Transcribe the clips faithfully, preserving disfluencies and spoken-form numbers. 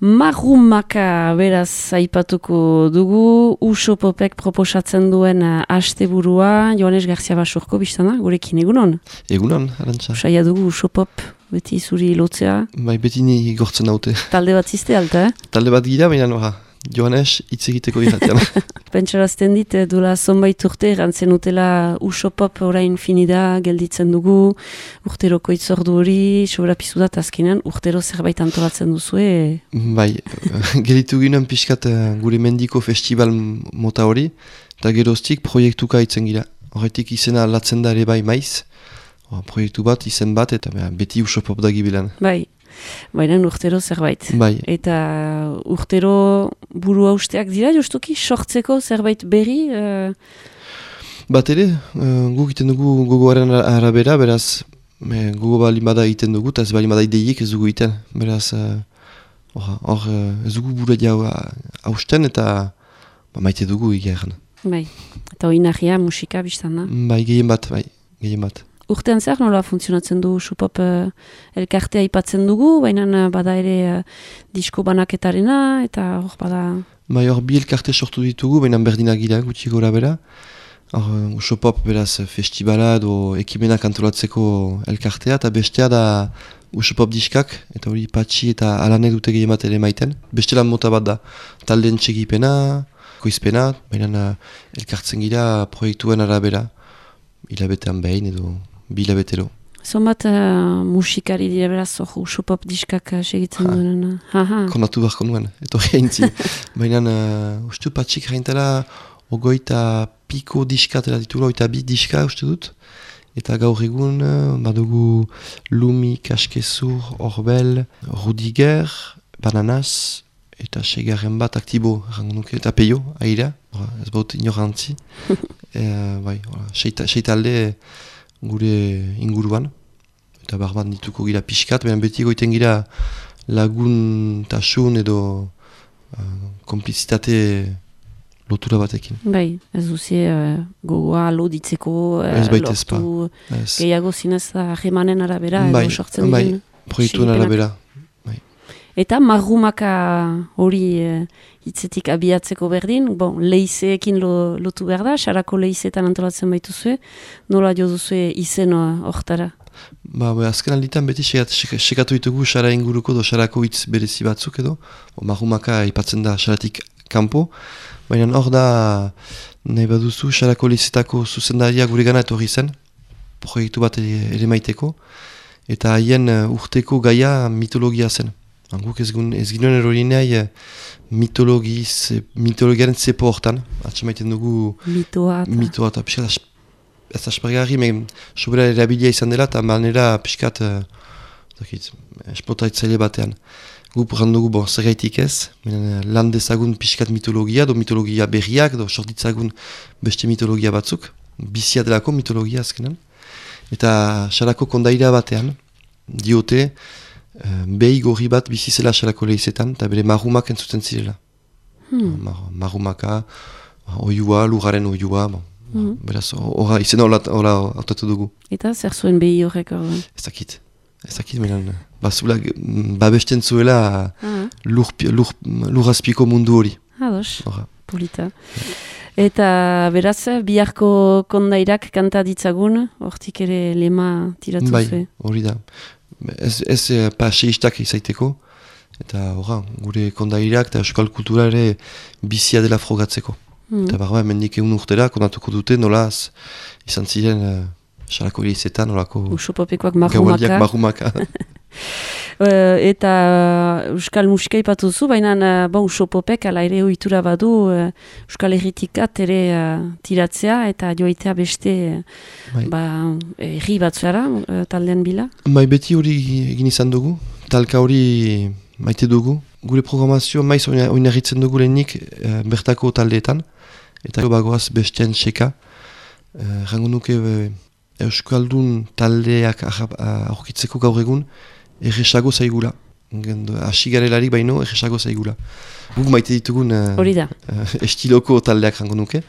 Marrumaka beraz aipatuko dugu, Usopopek proposatzen duen uh, asteburua, Joanes Garcia Basurko biztana, gurekin egunon? Egunon, arantxa. Saia dugu Usopop, beti zuri lotzea. Bai, beti ni gortzen haute. Talde bat ziste alta, eh? Talde bat gira, baina nora, Joanes hitz egiteko irratian. Pentsarazten dit, duela zonbait urte, erantzen utela Usopop orain finida, gelditzen dugu, urteroko itzordu hori, sobra pizudat azkenean, urtero zerbait antolatzen duzue. Bai, gelditu ginen pixkat gure mendiko festival mota hori, eta geroztik proiektuka itzen gira. Horretik izena latzen da ere bai maiz, proiektu bat, izen bat, eta beti Usopop da gibilan. Bai. Baina urtero zerbait. Bai. Eta urtero buru hausteak dira, justuki, sortzeko zerbait berri? Uh... Bat ere, uh, guk iten dugu gogoaren arabera, beraz, me, gogo bali bada iten dugu, eta ez bali bada ideiek ez dugu iten. Beraz, hor, uh, uh, ez dugu buru jau hausten, eta ba, maite dugu egeran. Bai, eta hori nahia musika biztan da? Bai, gehien bat, bai, gehien bat. Urtean zer nola funtzionatzen du Usopop uh, elkartea aipatzen dugu, baina uh, bada ere uh, disko banaketarena, eta hor bada... Bai, hor bi elkarte sortu ditugu, baina berdinak gira, gutxi gora bera. Hor uh, Usopop beraz festibala edo ekimenak antolatzeko elkartea, eta bestea da Usopop diskak, eta hori patxi eta alanek dute gehien bat ere maiten. Beste lan mota bat da, talden txegipena, koizpena, baina uh, elkartzen gira proiektuen arabera, hilabetean behin edo... Bila betero. Zonbat uh, musikari dira beraz, oh, Usopop diskak uh, segitzen ha. Duen. Uh, Konatu beharko nuen, eto geintzi. Baina, uh, ustu patxik jaintela, ogoita piko diskatela ditula, oita bi diska uste dut. Eta gaur egun, uh, badugu Lumi, Kaskezur, Orbel, Rudiger, Bananas, eta segarren bat aktibo, nuke, eta peio, aira, ez baut inorantzi. e, bai, seitalde, gure inguruan, eta barban dituko gira pixkat, baina beti goiten gira lagun tasun edo uh, komplizitate lotura batekin. Bai, ez duzie uh, gogoa loditzeko, uh, lortu, gehiago zinez ahemanen arabera, bai, edo sortzen bai, diren. Proiektuen arabera. Bai. Eta marrumaka hori uh, hitzetik abiatzeko berdin, bon, leizeekin lo, lotu behar da, xarako leizeetan antolatzen baituzue, nola jo duzue izen hortara? Ba, ba, azken alditan beti sekatu ditugu xara inguruko do xarako hitz berezi batzuk edo, o, marrumaka ipatzen da xaratik kanpo, baina hor da, nahi baduzu, xarako leizetako zuzendaria gure gana etorri zen, proiektu bat ere, ere maiteko, eta haien uh, urteko gaia mitologia zen. Guk ez, ez ginen erori nahi mitologi, ze, mitologiaren zepo hortan, atxe maiten dugu mitoa eta mitoa eta piskat ez aspergarri, men sobera erabilia izan dela eta manera piskat uh, esplotaitzaile batean. Guk randugu bon, zergaitik ez, men, lan dezagun piskat mitologia, do mitologia berriak, do sortitzagun beste mitologia batzuk, bizia delako mitologia azkenan, eta xarako kondaira batean, diote, Uh, behi gorri bat bizizela xalako lehizetan, eta bere marrumak entzuten zirela. Hmm. Mar marrumaka, oiua, lugaren oiua, bon. hmm. Beraz, ora, izena hola autatu dugu. Eta zer zuen behi horrek horren? Ez dakit, ez dakit, menan, bazula, babesten zuela ah. lur, lur, lurazpiko mundu hori. Ados, polita. Eta beraz, biharko kondairak kanta ditzagun, hortik ere lema tiratu bai, zuen. Bai, hori da. Ez, ez eh, paseistak izaiteko, eta horra, gure kondairak eta euskal kultura ere bizia dela frogatzeko. Mm. Eta barba, mendik egun urtera, kondatuko dute, nolaz, izan ziren, uh, xarako ilizetan, nolako... Usopopekoak marrumaka. marrumaka. uh, eta euskal musika ipatuzu, baina uh, bon, Usopopek ala ere ohitura badu uh, euskal herritikat ere uh, tiratzea, eta joaitea beste uh, ba, herri batzuara, uh, taldean bila. Bai, beti hori egin izan dugu, talka hori maite dugu. Gure programazio maiz oinarritzen dugu lehenik uh, bertako taldeetan, eta bagoaz bestean seka. Uh, rango nuke uh, euskaldun taldeak aurkitzeko gaur egun, erresago zaigula. Asi garelarik baino, erresago zaigula. Guk maite ditugun uh, uh, estiloko taldeak rango nuke.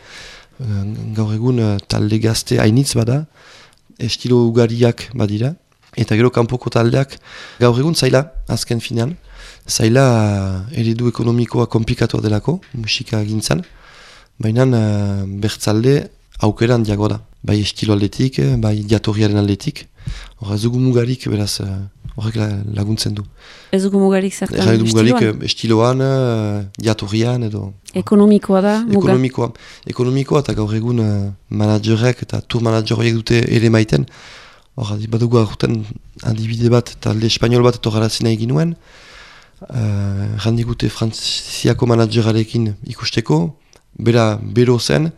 Uh, gaur egun uh, talde gazte hainitz bada, estilo ugariak badira. Eta gero kanpoko taldeak gaur egun zaila, azken finean. zaila eredu ekonomikoa komplikatua delako, musika gintzan, baina uh, bertzalde aukeran diago da. Bai estilo aldetik, bai jatorriaren aldetik. Hor, ez dugu mugarik, beraz, horrek laguntzen du. Ez dugu mugarik zertan estiloan? Ez dugu mugarik estiloan? estiloan, jatorrian edo... Ekonomikoa da, muga? Ekonomikoa. Ekonomikoa eta gaur egun uh, managerek eta tour manager horiek dute ere maiten. Hor, badugu aurten adibide bat, talde espanol bat etorrarazina egin nuen. Uh, Randigute frantziako managerarekin ikusteko, bera bero zen,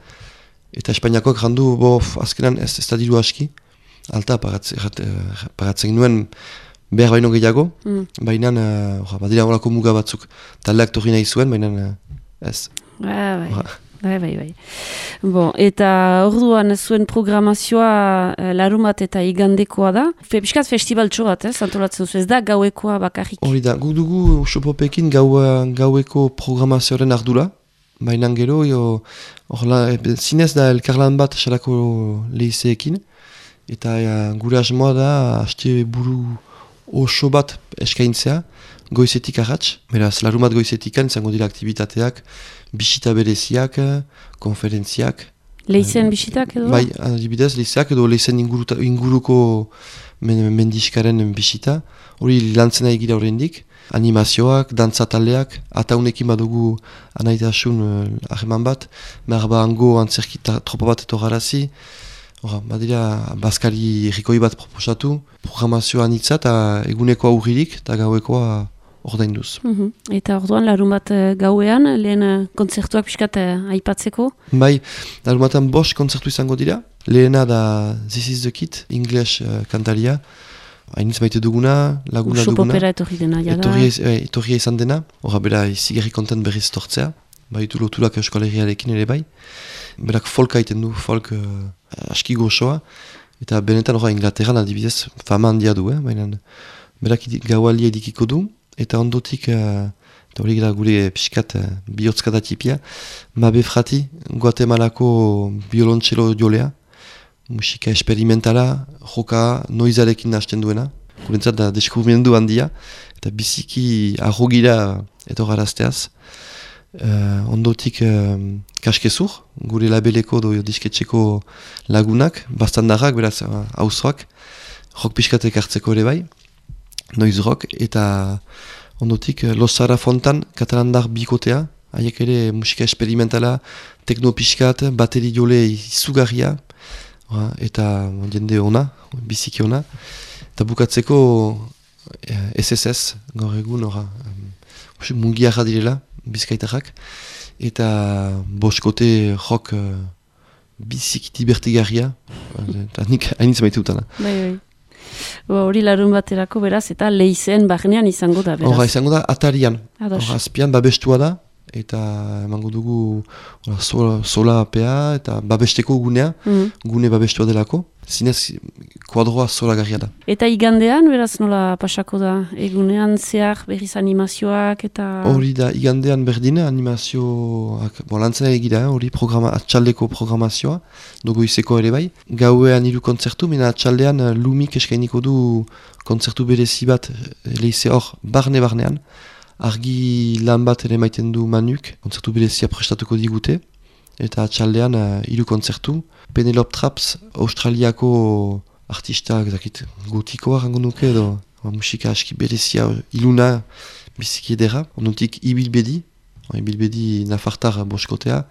eta Espainiakoak randu, bo, azkenan ez, ez da diru aski, alta paratzen nuen behar baino gehiago, mm. baina uh, badira horako muga batzuk, taldeak torri nahi zuen, baina uh, ez. Ah, bai. Bai, bai, bai. Bon, eta orduan zuen programazioa eh, larumat eta igandekoa da. Fe, Piskat festibaltxo bat, eh, antolatzen zu, ez da gauekoa bakarrik. Hori da, guk dugu Xopopekin gau, gaueko programazioaren ardura, baina gero, orla, zinez da elkarlan bat salako lehizeekin, eta ja, gure asmoa da haste buru oso bat eskaintzea, goizetik arratz, beraz, larumat goizetikan izango dira aktivitateak, bisita bereziak, konferentziak. Leizen bisitak edo? Bai, adibidez, leizeak edo leizen inguruta, inguruko men, mendiskaren bisita. Hori lantzena egira horrendik. Animazioak, dantzataleak, ataunekin badugu anaitasun ahreman bat, merba hango antzerkita tropa bat etorarazi. Hora, badira, bazkari errikoi bat proposatu, programazioa anitza eta eguneko aurririk eta gauekoa ordainduz. Mm-hmm. Eta orduan, larun bat gauean, lehen kontzertuak pixkat aipatzeko? Bai, larun batan bost kontzertu izango dira. Lehena da This is the Kid, English uh, kantaria. Hainitz maite duguna, laguna Uso duguna. popera etorri dena, jada. Etorri, eh, etorria izan dena. Hora, bera, izigarri kontent berriz tortzea. Baitu loturak Euskal Herriarekin ere bai. Berak folk haiten du, folk uh, aski gozoa. Eta benetan hori Inglaterran adibidez fama handia du, eh? Baina berak gaualia edikiko du. Eta ondotik, uh, eta hori gara gure pixkat uh, bihotzkada tipia, Mabe Frati, Guatemalako biolontxelo jolea, musika esperimentala, joka noizarekin hasten duena, gurentzat da deskubrimendu handia, eta biziki arrogira etorrarazteaz. Uh, ondotik uh, Kaskezur, gure labeleko do disketxeko lagunak, bastandarrak, beraz hauzoak, uh, rock pixkatek hartzeko ere bai, noiz rock, eta ondotik Los Sara Fontan, katalandar bikotea, haiek ere musika esperimentala, tekno pixkat, bateri jole izugarria, eta jende ona, biziki ona, eta bukatzeko S S S, gaur egun, ora, um, mungiarra direla, bizkaitarrak, eta boskote rock uh, biziki divertigarria, eta nik hainitz maite dutana. Bai, bai. Hori larun baterako beraz, eta leizen barnean izango da, beraz. Horra, izango da atarian. Horra, azpian babestua da, eta emango dugu ora, sola, sola apea, eta babesteko gunea, mm. gune babestua delako. Zinez, kuadroa sola garria da. Eta igandean, beraz nola pasako da? Egunean zehar berriz animazioak eta... Hori da, igandean berdin animazioak, bon, lantzena egira, hori programa, atxaldeko programazioa, dugu izeko ere bai. Gauean hiru kontzertu, mena atxaldean Lumik eskainiko du kontzertu berezi bat leize hor barne-barnean. Argi lan bat ere maiten du Manuk, kontzertu berezia prestatuko digute. Eta atxaldean hiru uh, kontzertu. Penelope Traps, australiako artista, zakit, gotikoa rango nuke edo musika aski berezia, iluna, biziki edera. Ondotik Ibilbedi, Ibilbedi nafartar boskotea.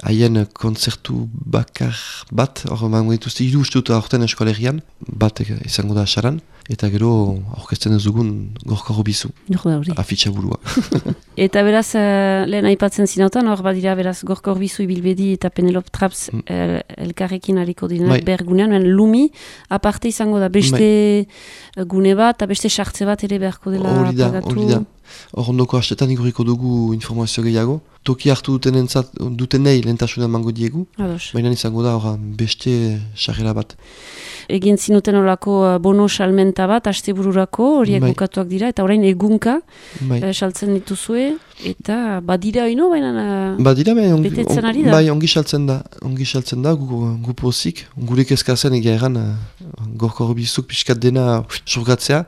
Haien kontzertu bakar bat, hor mango dituzte hiru ustut aurten eskolerian, bat izango da asaran. Eta gero aurkezten ez dugun gorka hobizu. Afitxa burua. Eta beraz, uh, lehen aipatzen zinautan, hor badira beraz gorka hobizu Ibilbedi eta Penelope Traps mm. el, elkarrekin hariko direnak bergunean. Lumi, aparte izango da beste Mai. gune bat, eta beste sartze bat ere beharko dela hori da, pagatu. Hori da, hor ondoko hastetan iguriko dugu informazio gehiago. Toki hartu duten entzat, duten nahi lehentasuna mango diegu. Baina izango da hor beste sarrera bat. Egin zinuten horako bono salmenta bat, astebururako, horiek bukatuak dira, eta orain egunka saltzen dituzue, eta badira oino, baina badira, on, betetzen ari da? Bai, ongi saltzen da, ongi saltzen da, gu pozik, gure kezkazen egia egan, gorko horbizuk pixkat dena surgatzea,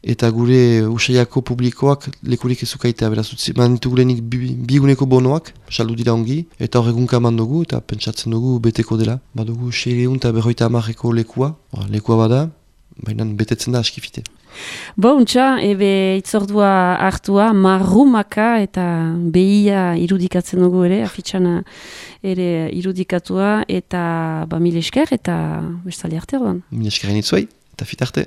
eta gure usaiako publikoak lekurik ezukaitea, beraz, utzi, manitugu lehenik bi, biguneko bonoak, saldu dira ongi, eta horregunka eman dugu, eta pentsatzen dugu beteko dela. Badugu seireun eta berroita hamarreko lekua, lekua bada, baina betetzen da askifite. Bo, untxa, ebe itzordua hartua, marrumaka eta behia irudikatzen dugu ere, afitxana ere irudikatua, eta ba, mil esker eta bestali arte orduan. Mil eskerin itzuai, eta fit arte.